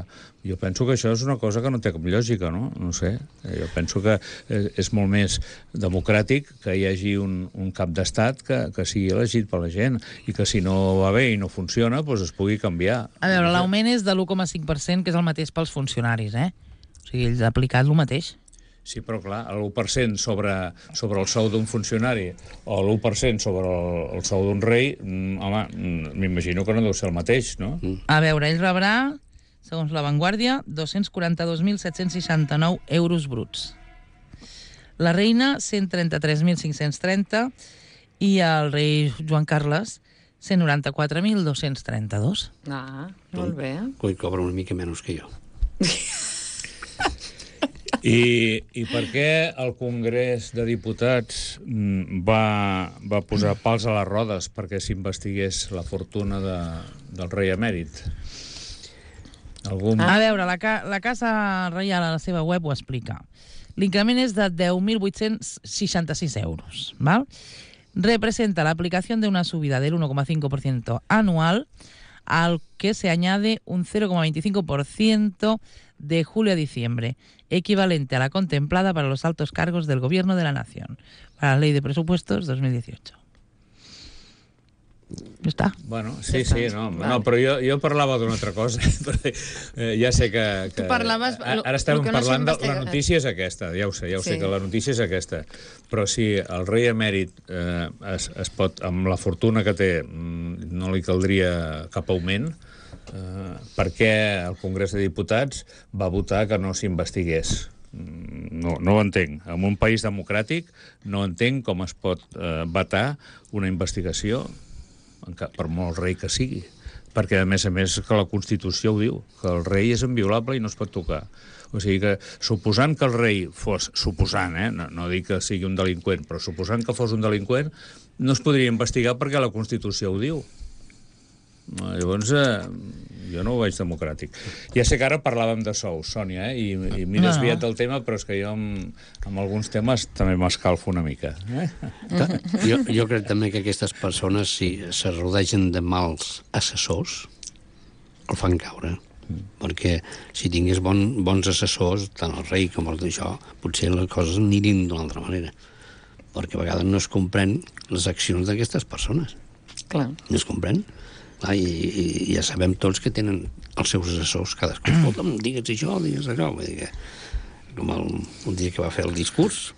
Jo penso que això és una cosa que no té cap lògica, no? No sé. Jo penso que és molt més democràtic que hi hagi un, un cap d'estat que, que sigui elegit per la gent, i que si no va bé i no funciona, doncs es pugui canviar. A veure, l'augment és de l'u coma cinc per cent, que és el mateix pels funcionaris, eh? O sigui, ells han aplicat el mateix. Sí, però clar, l'u per cent sobre, sobre el sou d'un funcionari o l'u per cent sobre el, el sou d'un rei, mm, home, m'imagino que no deu ser el mateix, no? Mm. A veure, ell rebrà, segons La Vanguardia, dos-cents quaranta-dos mil set-cents seixanta-nou euros bruts. La reina, cent trenta-tres mil cinc-cents trenta, i el rei Joan Carles, cent noranta-quatre mil dos-cents trenta-dos. Ah, molt bé. Coi, cobra una mica menys que jo. I, I per què el Congrés de Diputats va, va posar pals a les rodes perquè s'investigués la fortuna de, del rei emèrit? Algun... A veure, la, ca la Casa Reial a la seva web ho explica. L'increment és de deu mil vuit-cents seixanta-sis euros. ¿Val? Representa la aplicación de una subida del uno coma cinco por ciento anual, al que se añade un cero coma veinticinco por ciento de julio a diciembre, equivalente a la contemplada para los altos cargos del Gobierno de la Nación, para la Ley de Presupuestos dos mil dieciocho. Ja està. Bueno, sí, Ja sí, està. no, Vale. no, però jo, jo parlava d'una altra cosa. eh, ja sé que... que Tu parlaves- Ara estem el que no parlant de... s'investiga- La notícia és aquesta, ja ho sé, ja ho sé Sí. que la notícia és aquesta. Però si el rei emèrit eh, es, es pot, amb la fortuna que té, mm, no li caldria cap augment, eh, per què el Congrés de Diputats va votar que no s'investigués? No, no ho entenc. En un país democràtic no entenc com es pot eh, vetar una investigació, per molt rei que sigui. Perquè, a més a més, que la Constitució ho diu, que el rei és inviolable i no es pot tocar. O sigui que, suposant que el rei fos, suposant, eh, no, no dic que sigui un delinqüent, però suposant que fos un delinqüent, no es podria investigar perquè la Constitució ho diu. Llavors, eh, jo no ho veig democràtic. Ja sé que ara parlàvem de sous, Sònia, eh, i, i m'he desviat del tema, però és que jo amb, amb alguns temes també m'escalfo una mica. Eh? Jo, jo crec també que aquestes persones, si se rodegen de mals assessors, el fan caure. Mm. Perquè si tingués bon, bons assessors, tant el rei com el d'això, potser les coses anirien d'una altra manera. Perquè a vegades no es comprèn les accions d'aquestes persones. Clar. No es comprèn. Clar, i, i ja sabem tots que tenen els seus assessors cadascú. Escolta'm, digues això, digues allò. Vull dir que, com el, un dia que va fer el discurs,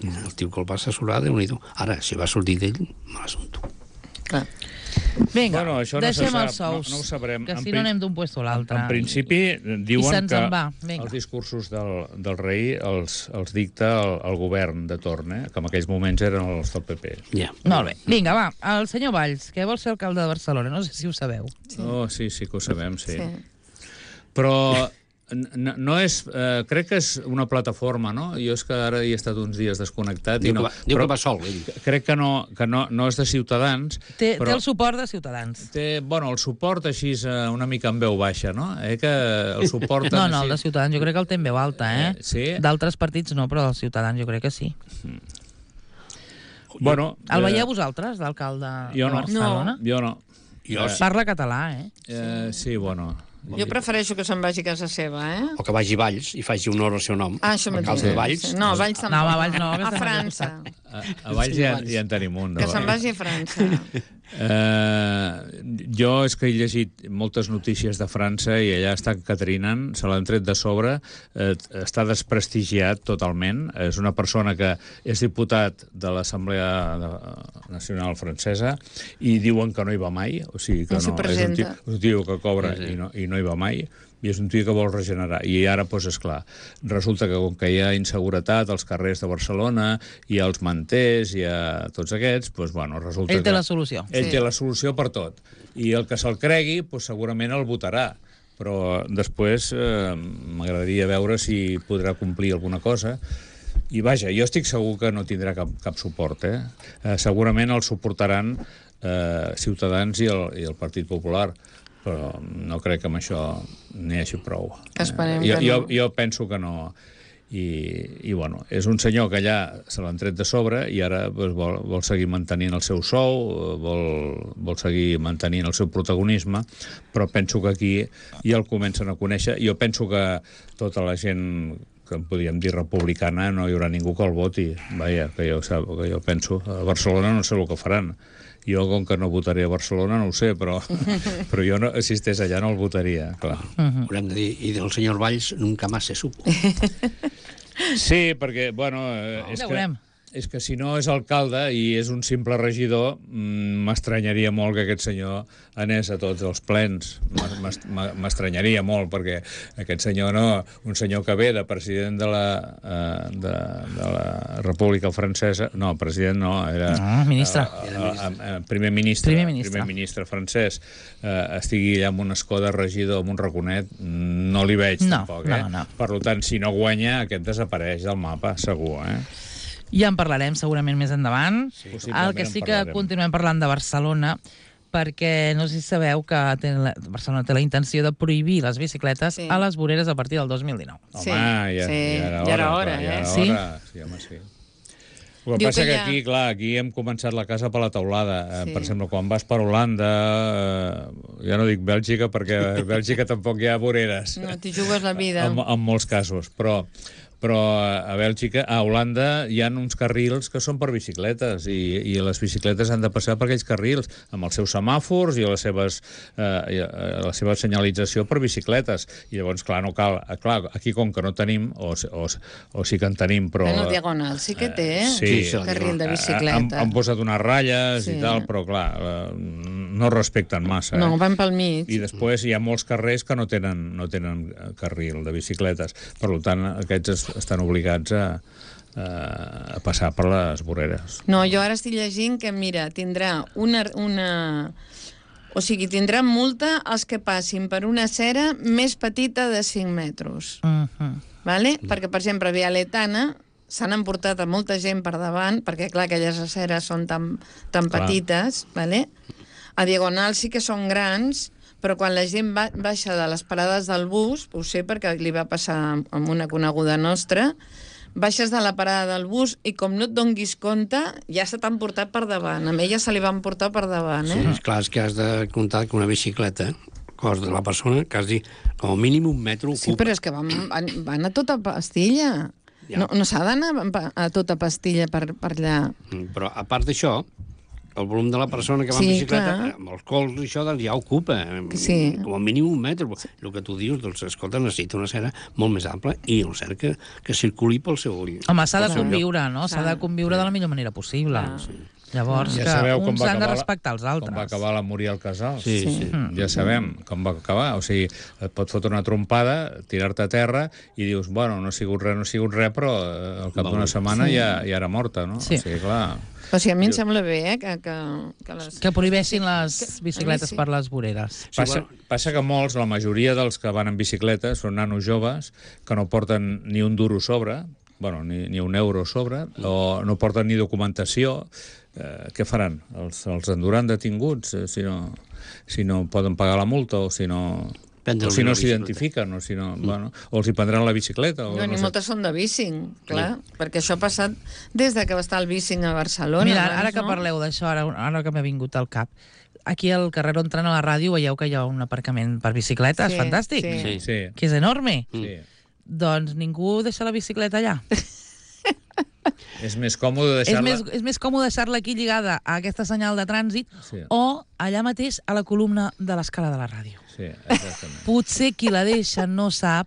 el tio que el va assessorar, Déu-n'hi-do. Ara, si va sortir d'ell, me l'assumpto. Clar. Vinga, bueno, això no deixem se sap, els sous, no, no ho sabrem. que En si pri- no anem d'un puesto a l'altre. En principi, diuen se'ns que en va. Vinga. els discursos del, del rei els, els dicta el, el govern de torn, eh? Que en aquells moments eren els del P P. Ja. Molt bé. Vinga, va. El senyor Valls, que vol ser alcalde de Barcelona. No sé si ho sabeu. Sí. Oh, sí, sí que ho sabem, sí. Sí. Però no, no és... Eh, crec que és una plataforma, no? Jo és que ara hi he estat uns dies desconnectat. Diu, i no, que va, diu però que va sol, ell. crec que, no, que no, no és de Ciutadans. Té, però té el suport de Ciutadans. té, bueno, el suport així és eh, una mica en veu baixa, no? Eh, que el suport... No, no, el de Ciutadans jo crec que el té en veu alta, eh? Eh, sí? D'altres partits no, però dels Ciutadans jo crec que sí. Bueno, El eh, veieu vosaltres, d'alcalde jo de no. Barcelona? Jo no. Jo sí. Parla català, eh? Eh, sí, bueno... Jo prefereixo que se'n vagi a casa seva, eh? O que vagi a Valls i faci honor al seu nom. Ah, això Alcalde mateix. de Valls. No, a Valls tampoc. No, a Valls no, que A estem França. A, a Valls ja, ja en tenim un. Que se'n vagi a França. Eh, jo és que he llegit moltes notícies de França i allà estan catrinant, se l'han tret de sobre, eh, està desprestigiat totalment. És una persona que és diputat de l'Assemblea Nacional Francesa i diuen que no hi va mai, o sigui que No s'hi no, és un presenta. tio, un tio que cobra Sí, sí. i no, i no hi va mai, i és un tio que vol regenerar. I ara, doncs, esclar, resulta que com que hi ha inseguretat als carrers de Barcelona, i als manters, i a tots aquests, doncs, bueno, resulta Ell té que... la solució. Ell Sí. té la solució per tot. I el que se'l cregui, doncs, segurament el votarà. Però després eh, m'agradaria veure si podrà complir alguna cosa. I vaja, jo estic segur que no tindrà cap, cap suport. Eh? Eh, segurament el suportaran eh, Ciutadans i el, i el Partit Popular, però no crec que amb això n'hi hagi prou. Esperem eh, jo, que no. jo, jo penso que no. I, i bueno, és un senyor que allà se l'han tret de sobre i ara doncs, vol, vol seguir mantenint el seu sou, vol, vol seguir mantenint el seu protagonisme, però penso que aquí ja el comencen a conèixer. Jo penso que tota la gent que en podríem dir republicana no hi haurà ningú que el voti. Vaja, que jo, que jo penso. A Barcelona no sé el que faran. Jo, com que no votaré a Barcelona, no ho sé, però, però jo, no, si estigués allà, no el votaria, clar. Mhm. Haurem de dir, i del senyor Valls nunca más se supo. Sí, perquè, bueno, eh, és Ja que... veurem. És que si no és alcalde i és un simple regidor, mm, m'estranyaria molt que aquest senyor anés a tots els plens. M'est- M'estranyaria molt, perquè aquest senyor no, un senyor que ve de president de la, eh, de, de la República Francesa, no, president no, era... No, ministre. eh, eh, eh, primer ministre. Primer ministre. Primer ministre francès, eh, estigui allà amb un escó de regidor, amb un raconet, no li veig No, tampoc, no, eh? no. Per tant, si no guanya, aquest desapareix del mapa, segur, eh? Ja en parlarem segurament més endavant. Possiblement El que sí en que parlarem. continuem parlant de Barcelona, perquè no sé si sabeu que té la, Barcelona té la intenció de prohibir les bicicletes Sí. a les voreres a partir del dos mil dinou. Home, Sí, ja, sí, ja era hora. ja era hora, clar, ja eh? era Sí? hora. Sí, home, sí. El que Diu passa que que, ja- aquí, clar, aquí hem començat la casa per la teulada. Sí. Eh, per exemple, quan vas per Holanda, eh, ja no dic Bèlgica, perquè a Bèlgica tampoc hi ha voreres. No, t'hi jugues la vida. En, en molts casos, però però a Bèlgica, a Holanda, hi ha uns carrils que són per bicicletes i, i les bicicletes han de passar per aquells carrils amb els seus semàfors i les seves, eh, la seva senyalització per bicicletes. I llavors, clar, no cal... Clar, aquí, com que no tenim, o, o, o sí que en tenim, però... Bueno, diagonal sí que té, Sí, eh? sí, Carril de Han, bicicleta. han posat unes ratlles Sí. i tal, però clar, eh, no respecten massa. No, eh? van pel mig. I després hi ha molts carrers que no tenen, no tenen carril de bicicletes. Per tant, aquests estan obligats a, a passar per les voreres. No, jo ara estic llegint que, mira, tindrà una... una... O sigui, tindran multa els que passin per una acera més petita de cinc metres. Uh-huh. Vale? Perquè, per exemple, a Via Letana s'han emportat a molta gent per davant, perquè, clar, aquelles aceres són tan, tan petites, vale? A Diagonal sí que són grans, però quan la gent va, baixa de les parades del bus, ho sé perquè li va passar amb una coneguda nostra, baixes de la parada del bus i com no et donguis compte, ja se t'han portat per davant. A ella se li van portar per davant, eh? Sí, és clar, és que has de comptar que una bicicleta, cos de la persona, quasi com a mínim un metro ocupa. Sí, però és que van, van, van a tota pastilla. Ja. No, no s'ha d'anar a tota pastilla per, per allà. Però, a part d'això, el volum de la persona que va Sí, en bicicleta, clar. amb els cols i això, doncs ja ocupa, Sí. com a mínim un metre. Sí. El que tu dius, doncs, escolta, necessita una acera molt més ampla i el cert que, que circuli pel seu... Home, s'ha de pel seu lloc. conviure, no? S'ha de conviure de la millor manera possible. Llavors, Ja que sabeu com uns va han de acabar la- respectar els altres. Com va acabar la Muriel Casals. Sí, sí. sí. Mm. Ja sabem com va acabar. O sigui, et pot fotre una trompada, tirar-te a terra i dius, bueno, no ha sigut res, no ha sigut res, però eh, al cap d'una setmana Sí. ja, ja era morta, no? Sí. O sigui, clar... O sigui, a mi em sembla bé, eh, que, que, que les... Que prohibeixin les Que- bicicletes a mi sí. per les voreres. Passa, passa que molts, la majoria dels que van en bicicleta són nanos joves que no porten ni un duro sobre, bueno, ni, ni un euro sobre, o no porten ni documentació. Eh, què faran? Els, els enduran detinguts eh, si, no, si no poden pagar la multa o si no... Prendre o si no una bicicleta. s'identifiquen, o si no, mm. bueno, o els hi prendran la bicicleta. O No, ni no sé. moltes són de bicing, clar, perquè això ha passat des de que va estar el bicing a Barcelona. Mira, abans, ara que no? parleu d'això, ara, ara que m'ha vingut al cap, aquí al carrer on entrant a la ràdio veieu que hi ha un aparcament per bicicletes, Sí, fantàstic, sí. Sí. Sí, que és enorme. sí. Doncs ningú deixa la bicicleta allà. És més còmode És deixar-la... més, és més còmode deixar-la aquí lligada a aquesta senyal de trànsit Sí. o allà mateix a la columna de l'escala de la ràdio. Sí, exactament. Potser qui la deixa no sap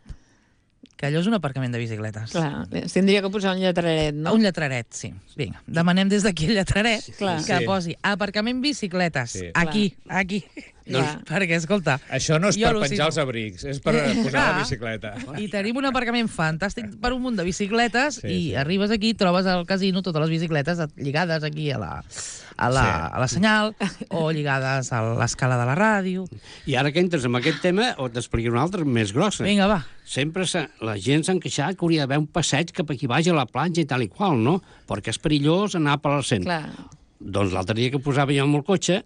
que allò és un aparcament de bicicletes. Clar, es tindria que posar un lletraret, no? Un lletraret, sí. Vinga, demanem des d'aquí el lletraret Clar. que Sí. posi aparcament bicicletes. Sí. Aquí, aquí. Clar. Perquè, escolta... Això no és jo per al·lucino. penjar els abrics, és per posar Clar. la bicicleta. I tenim un aparcament fantàstic per un munt de bicicletes Sí, i sí. arribes aquí, trobes al casino totes les bicicletes lligades aquí a la, a la, Sí. a la senyal o lligades a l'escala de la ràdio. I ara que entres en aquest tema, o t'explicaré una altra més grossa. Vinga, va. Sempre se, la gent s'ha queixat que hauria d'haver un passeig cap aquí baix a la platja i tal i qual, no? Perquè és perillós anar per l'arcent. Clar. Doncs l'altre dia que posava jo amb el cotxe,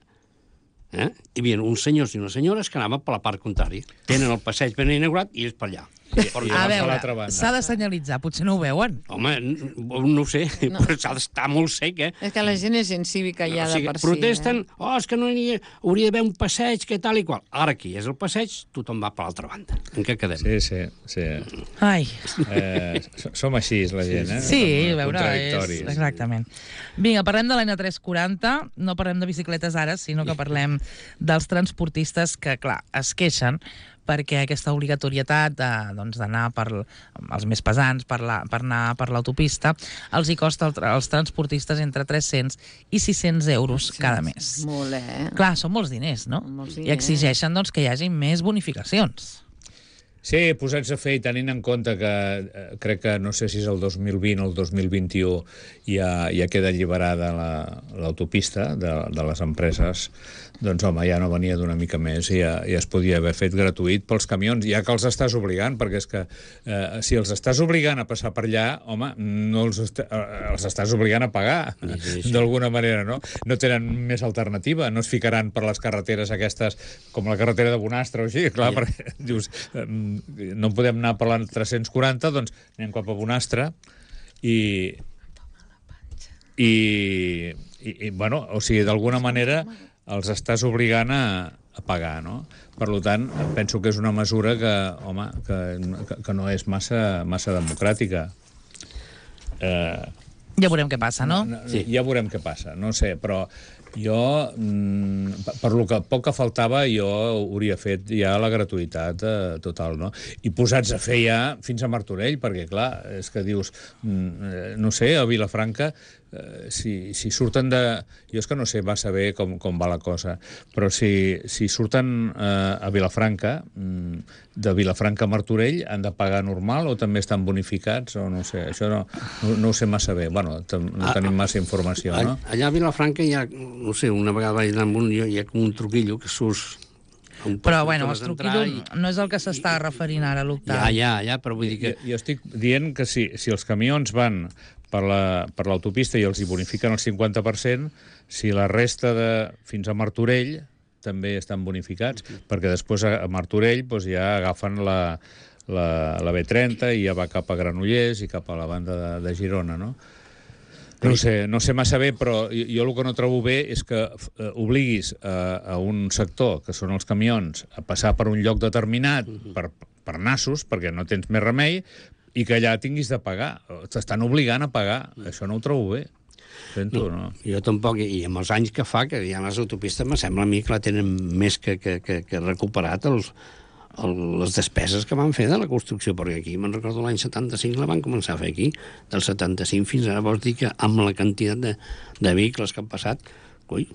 eh, hi havia uns senyors i unes senyores que anaven per la part contrària. Tenen el passeig ben inaugurat i és per allà. I, Per i A vas a veure, l'altra banda. s'ha de senyalitzar, potser no ho veuen. Home, n- no ho sé, no. Però s'ha d'estar molt sec, eh? És que la gent és gent cívica ja o sigui, de per si. protesten, Eh? oh, és que no hi ha, hauria d'haver un passeig, que tal i qual. Ara aquí és el passeig, tothom va per l'altra banda. En què quedem? Sí, sí, sí. Ai, Eh, s- som així, la gent, eh? sí, Som a veure, és, contradictoris. exactament. Vinga, parlem de l'N tres quaranta, no parlem de bicicletes ara, sinó que parlem dels transportistes que, clar, es queixen perquè aquesta obligatorietat de, doncs, d'anar per els més pesants, per, la, per anar per l'autopista, els hi costa al tra- als transportistes entre tres-cents i sis-cents euros cada mes. Molt, eh? Clar, són molts diners, no? Molts I diners. exigeixen doncs, que hi hagi més bonificacions. Sí, posats a fer i tenint en compte que eh, crec que no sé si és el dos mil vint o el dos mil vint-i-u ja, ja queda alliberada la- l'autopista de, de les empreses, doncs home, ja no venia d'una mica més i ja, ja es podia haver fet gratuït pels camions, ja que els estàs obligant, perquè és que eh, si els estàs obligant a passar per allà, home, no els, est eh, els estàs obligant a pagar, Sí, sí. d'alguna manera, no? No tenen més alternativa, no es ficaran per les carreteres aquestes, com la carretera de Bonastre o així, clar, Ja. perquè dius, eh, no podem anar per la tres-cents quaranta, doncs anem cap a Bonastre i, i, i, i bueno, o sigui, d'alguna manera els estàs obligant a, a pagar, no? Per tant, penso que és una mesura que, home, que, que no és massa, massa democràtica. Eh, Ja veurem què passa, no? Sí. Ja veurem què passa, no sé, però jo, mm, per, per lo que poc que faltava, jo hauria fet ja la gratuïtat eh, total, no? I posats a fer ja fins a Martorell, perquè, clar, és que dius, mm, no sé, a Vilafranca eh, si, si surten de... Jo és que no sé massa bé com, com va la cosa, però si, si surten eh, a Vilafranca, de Vilafranca a Martorell, han de pagar normal o també estan bonificats? O no sé, això no, no, no ho sé massa bé. Bueno, no tenim massa informació, no? Allà a Vilafranca hi ha, no sé, una vegada vaig anar amb un, hi ha com un truquillo que surts... Però, bueno, el truquillo i... no és el que s'està referint ara, l'Octavi. Ja, ja, ja, però vull dir que... Jo, jo estic dient que si, si els camions van per la, per l'autopista i els hi bonifiquen el cinquanta per cent, si la resta de fins a Martorell també estan bonificats, uh-huh. perquè després a Martorell doncs, ja agafen la, la, la B trenta i ja va cap a Granollers i cap a la banda de, de Girona, no? No sé, no sé massa bé, però jo, jo el que no trobo bé és que eh, obliguis a, a un sector, que són els camions, a passar per un lloc determinat per, per nassos, perquè no tens més remei, i que allà tinguis de pagar. T'estan obligant a pagar. Això no ho trobo bé. Sento, no, no? Jo tampoc, i amb els anys que fa que hi ha les autopistes, me sembla a mi que la tenen més que, que, que, que recuperat els, el, les despeses que van fer de la construcció, perquè aquí, me'n recordo l'any setanta-cinc la van començar a fer aquí, del setanta-cinc fins ara, vols dir que amb la quantitat de, de vehicles que han passat, coi,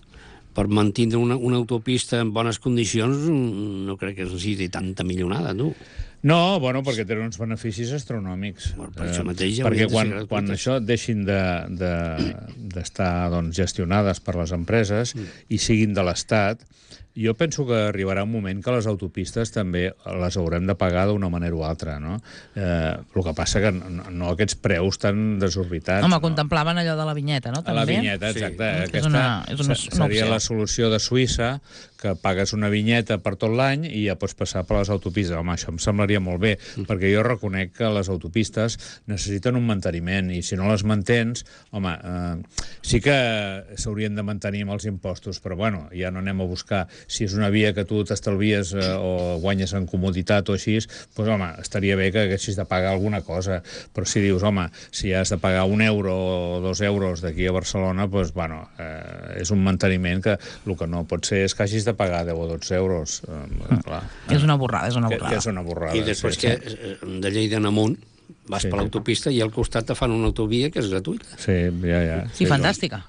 per mantenir una, una autopista en bones condicions no crec que necessiti tanta millonada, tu. No, bueno, perquè tenen uns beneficis astronòmics. Bueno, per això mateix ja perquè quan, quan això deixin d'estar de, de, doncs, gestionades per les empreses mm. i siguin de l'Estat, jo penso que arribarà un moment que les autopistes també les haurem de pagar d'una manera o altra, no? Eh, el que passa que no, no aquests preus tan desorbitats. Home, no? Contemplaven allò de la vinyeta, no? També? La vinyeta, exacte. Sí. Aquesta és una, és una, seria una la solució de Suïssa, que pagues una vinyeta per tot l'any i ja pots passar per les autopistes. Home, això em semblaria molt bé, mm. perquè jo reconec que les autopistes necessiten un manteniment i si no les mantens, home, eh, sí que s'haurien de mantenir amb els impostos, però bueno, ja no anem a buscar si és una via que tu t'estalvies eh, o guanyes en comoditat o així, doncs home, estaria bé que haguessis de pagar alguna cosa, però si dius, home, si has de pagar un euro o dos euros d'aquí a Barcelona, doncs, bueno, eh, és un manteniment que el que no pot ser és que hagis de pagar deu o dotze euros. Eh, clar. És una borrada, és una borrada. Que, que és una borrada. I després sí, que sí. de Lleida en amunt vas sí, per l'autopista i al costat te fan una autovia que és gratuïta. Sí, ja, ja. Sí, sí fantàstica.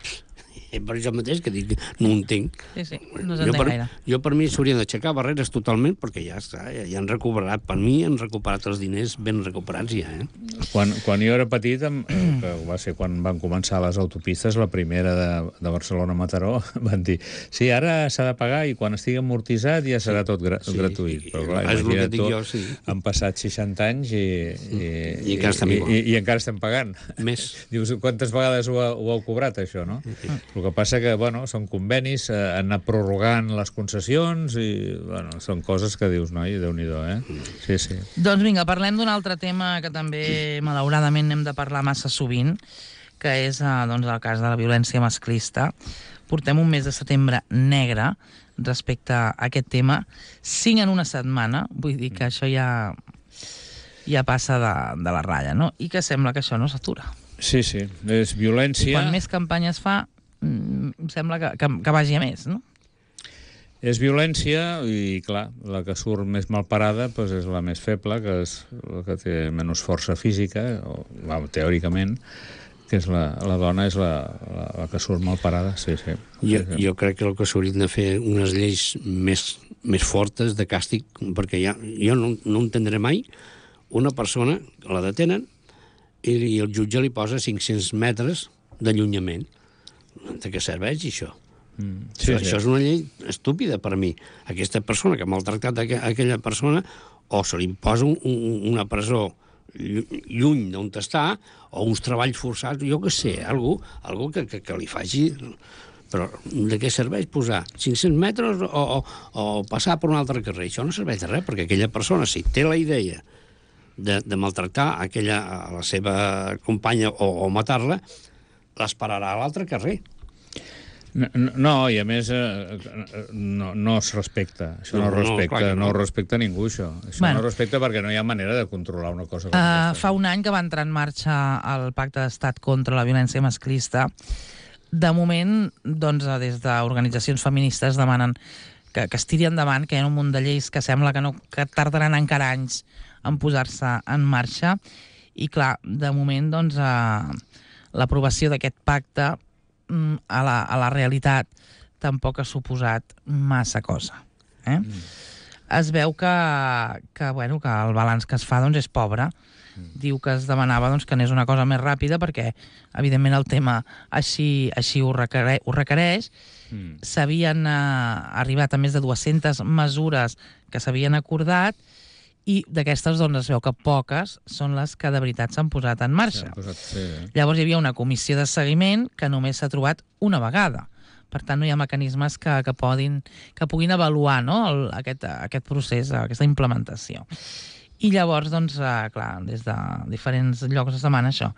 I per això mateix que dic, no ho entenc. Sí, sí, no s'entén gaire. Jo per mi s'haurien d'aixecar barreres totalment perquè ja està, ja, ja han recuperat, per mi han recuperat els diners ben recuperats ja, eh? Quan, quan jo era petit, que va ser quan van començar les autopistes, la primera de, de Barcelona-Mataró, van dir, sí, ara s'ha de pagar i quan estigui amortitzat ja serà tot gra sí, gratuït. Però clar, imagina't tu, jo, sí. han passat seixanta anys i, i, I, encara estem i, i, i encara estem pagant. Més. Dius, quantes vegades ho, ho heu cobrat, això, no? Sí. El que passa que, bueno, són convenis, eh, han anat prorrogant les concessions i, bueno, són coses que dius, noi, Déu-n'hi-do, eh? Sí, sí. Doncs vinga, parlem d'un altre tema que també, malauradament, hem de parlar massa sovint, que és, eh, doncs, el cas de la violència masclista. Portem un mes de setembre negre respecte a aquest tema. Cinc en una setmana, vull dir que això ja, ja passa de, de la ratlla, no? I que sembla que això no s'atura. Sí, sí, és violència... I quan més campanyes fa, em sembla que, que, que vagi a més, no? És violència i, clar, la que surt més mal parada doncs és la més feble, que és la que té menys força física, o, well, teòricament, que és la, la dona és la, la, la que surt mal parada, sí, sí. Jo, jo crec que el que s'haurien de fer unes lleis més, més fortes de càstig, perquè ja, jo no, no entendré mai una persona que la detenen i, i el jutge li posa cinc-cents metres d'allunyament. De què serveix això? Mm, sí, això, sí. Això és una llei estúpida per mi. Aquesta persona que ha maltractat aqu aquella persona o se li imposa un, un, una presó lluny d'on està o uns treballs forçats, jo què sé, algú, algú que, que, que li faci... Però de què serveix posar cinc-cents metres o, o, o passar per un altre carrer? Això no serveix de res, perquè aquella persona, si té la idea de, de maltractar aquella, a la seva companya o, o matar-la, l'esperarà a l'altre carrer. No, no, i a més eh, no, no es respecta. Això no, no, respecta, no, no. no respecta ningú, això. Això bueno. no respecta perquè no hi ha manera de controlar una cosa com uh, aquesta. Fa un any que va entrar en marxa el Pacte d'Estat contra la violència masclista. De moment, doncs, des d'organitzacions feministes demanen que, que es tiri endavant, que hi ha un munt de lleis que sembla que, no, que tardaran encara anys en posar-se en marxa. I clar, de moment, doncs... Uh, l'aprovació d'aquest pacte mm, a, la, a la realitat tampoc ha suposat massa cosa. Eh? Mm. Es veu que, que, bueno, que el balanç que es fa doncs, és pobre. Mm. Diu que es demanava doncs, que anés una cosa més ràpida perquè, evidentment, el tema així, així ho, requereix, ho requereix. Mm. S'havien eh, arribat a més de dues-centes mesures que s'havien acordat i d'aquestes doncs, es veu que poques són les que de veritat s'han posat en marxa. Posat, sí, eh? Llavors hi havia una comissió de seguiment que només s'ha trobat una vegada. Per tant, no hi ha mecanismes que, que, podin, que puguin avaluar, no? El, aquest, aquest procés, aquesta implementació. I llavors, doncs, eh, clar, des de diferents llocs es demana això,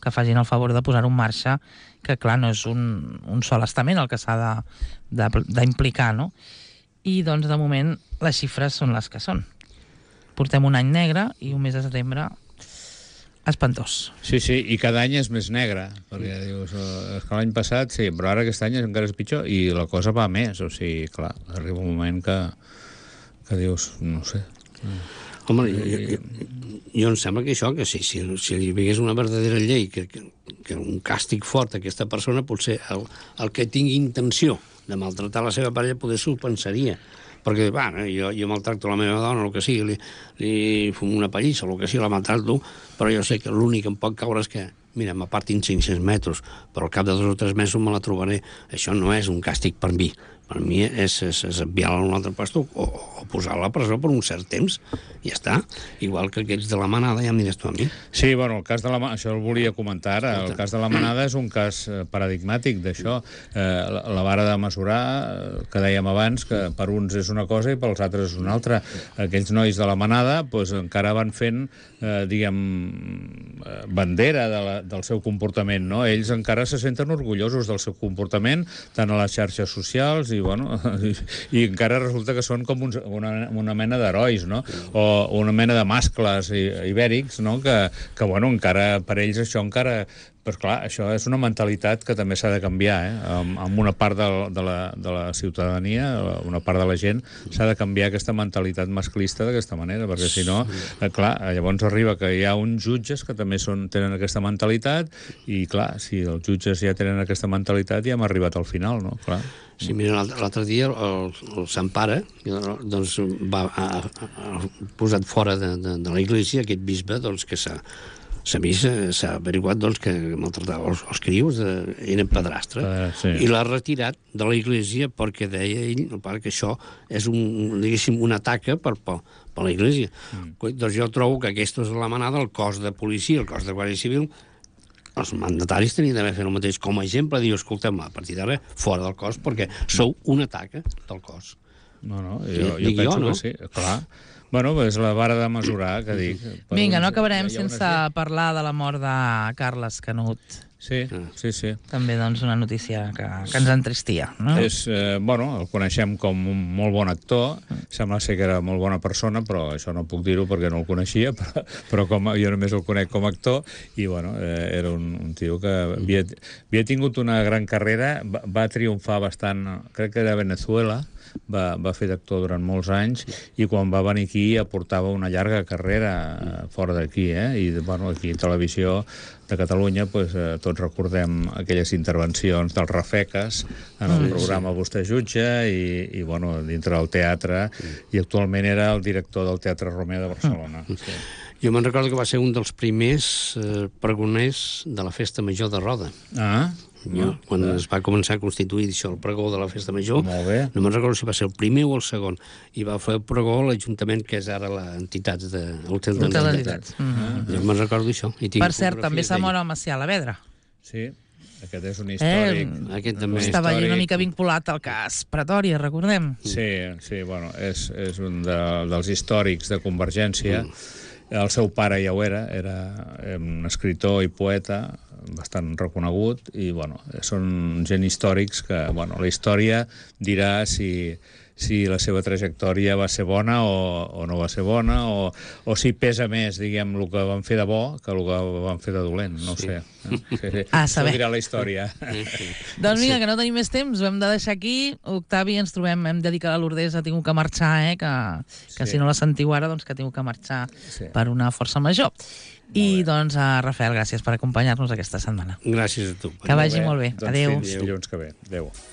que facin el favor de posar-ho en marxa, que, clar, no és un, un sol estament el que s'ha d'implicar, no? I, doncs, de moment, les xifres són les que són. Portem un any negre i un mes de setembre espantós. Sí, sí, i cada any és més negre, perquè dius, és que l'any passat, sí, però ara aquest any encara és pitjor i la cosa va més, o sigui, clar, arriba un moment que, que dius, no sé... Home, jo, jo, jo em sembla que això, que si, si, si hi hagués una verdadera llei, que, que, que un càstig fort a aquesta persona, potser el, el que tingui intenció de maltratar la seva parella poder s'ho pensaria. Perquè, va, jo, jo maltracto la meva dona, el que sigui, li, li fumo una pallissa, el que sigui, la maltracto, però jo sé que l'únic que em pot caure és que, mira, m'apartin cinc-cents metres, però al cap de dos o tres mesos me la trobaré. Això no és un càstig per mi. Per mi és, és, és enviar-la a un altre lloc o, o posar-la a la presó per un cert temps. I ja està. Igual que aquells de la manada, ja em diràs tu a mi. Sí, bueno, el cas de la manada, això el volia comentar ara, el cas de la manada és un cas paradigmàtic d'això. Eh, la, la vara de mesurar, que dèiem abans, que per uns és una cosa i pels altres és una altra. Aquells nois de la manada pues, encara van fent, eh, diguem, bandera de la, del seu comportament, no? Ells encara se senten orgullosos del seu comportament, tant a les xarxes socials i, bueno, i, i encara resulta que són com uns, una, una mena d'herois, no? O una mena de mascles ibèrics, no? Que, que, bueno, encara, per ells això encara... Però, clar, això és una mentalitat que també s'ha de canviar, eh? Amb, amb una part de, de, la, de la ciutadania, una part de la gent, s'ha de canviar aquesta mentalitat masclista d'aquesta manera, perquè si no, eh, clar, llavors arriba que hi ha uns jutges que també són, tenen aquesta mentalitat i, clar, si els jutges ja tenen aquesta mentalitat ja hem arribat al final, no? Clar. Sí, mira, l'altre dia el, el Sant Pare doncs, va ha, ha posat fora de, de, de la Iglésia aquest bisbe doncs, que s'ha s'ha vist, s'ha averiguat doncs, que maltratava els, els crios, de, eren padrastre, uh, sí. I l'ha retirat de la Iglésia perquè deia ell, el pare, que això és un, diguéssim, un atac per, per, per la Iglésia. Mm. Doncs jo trobo que aquesta és la manada, el cos de policia, el cos de Guàrdia Civil, els mandataris tenien d'haver fet el mateix com a exemple, diu, escolteu, a partir d'ara, fora del cos, perquè sou un atac del cos. No, no, jo, jo penso jo, no? que sí, clar. Bueno, és la vara de mesurar, que dic. Vinga, no acabarem sense parlar de la mort de Carles Canut. Sí, sí, sí. També, doncs, una notícia que, que ens entristia, no? És, eh, bueno, el coneixem com un molt bon actor, sembla ser que era molt bona persona, però això no puc dir-ho perquè no el coneixia, però, però com, jo només el conec com a actor, i, bueno, eh, era un, un tio que havia, havia tingut una gran carrera, va, va triomfar bastant, crec que era a Venezuela, va, va fer d'actor durant molts anys i quan va venir aquí aportava una llarga carrera fora d'aquí, eh? I, bueno, aquí a Televisió de Catalunya pues, eh, tots recordem aquelles intervencions dels Rafeques en el sí, programa sí. Vostè jutge i, i bueno, dintre del teatre sí. I actualment era el director del Teatre Romea de Barcelona. Sí. Jo me'n recordo que va ser un dels primers eh, pregoners de la Festa Major de Roda. Ah, jo, quan es va començar a constituir això, el pregó de la Festa Major, no me'n recordo si va ser el primer o el segon, i va fer el pregó a l'Ajuntament, que és ara l'entitat de l'Hotel d'Entitats. Jo me'n recordo això. Per cert, també s'ha mort el Macià Alavedra. Sí, aquest és un històric. Eh, aquest també. Estava allà una mica vinculat al cas Pretòria, recordem. Sí, sí, bueno, és, és un de, dels històrics de Convergència. Mm. El seu pare ja ho era, era un escritor i poeta bastant reconegut i, bueno, són gent històrics que, bueno, la història dirà si, si la seva trajectòria va ser bona o, o no va ser bona o, o si pesa més, diguem, el que van fer de bo que el que van fer de dolent, no sí. Sé. Sí, sí. Ah, saber. Això dirà la història. Doncs vinga, que no tenim més temps, ho hem de deixar aquí. Octavi, ens trobem, hem de dir que la Lourdes ha tingut que marxar, eh? que, que sí. Si no la sentiu ara, doncs que ha tingut que marxar sí. Per una força major. I doncs, a Rafael, gràcies per acompanyar-nos aquesta aquesta setmana. Gràcies a tu. Que vagi molt bé. Doncs Adéu. fins dilluns que ve. Adéu.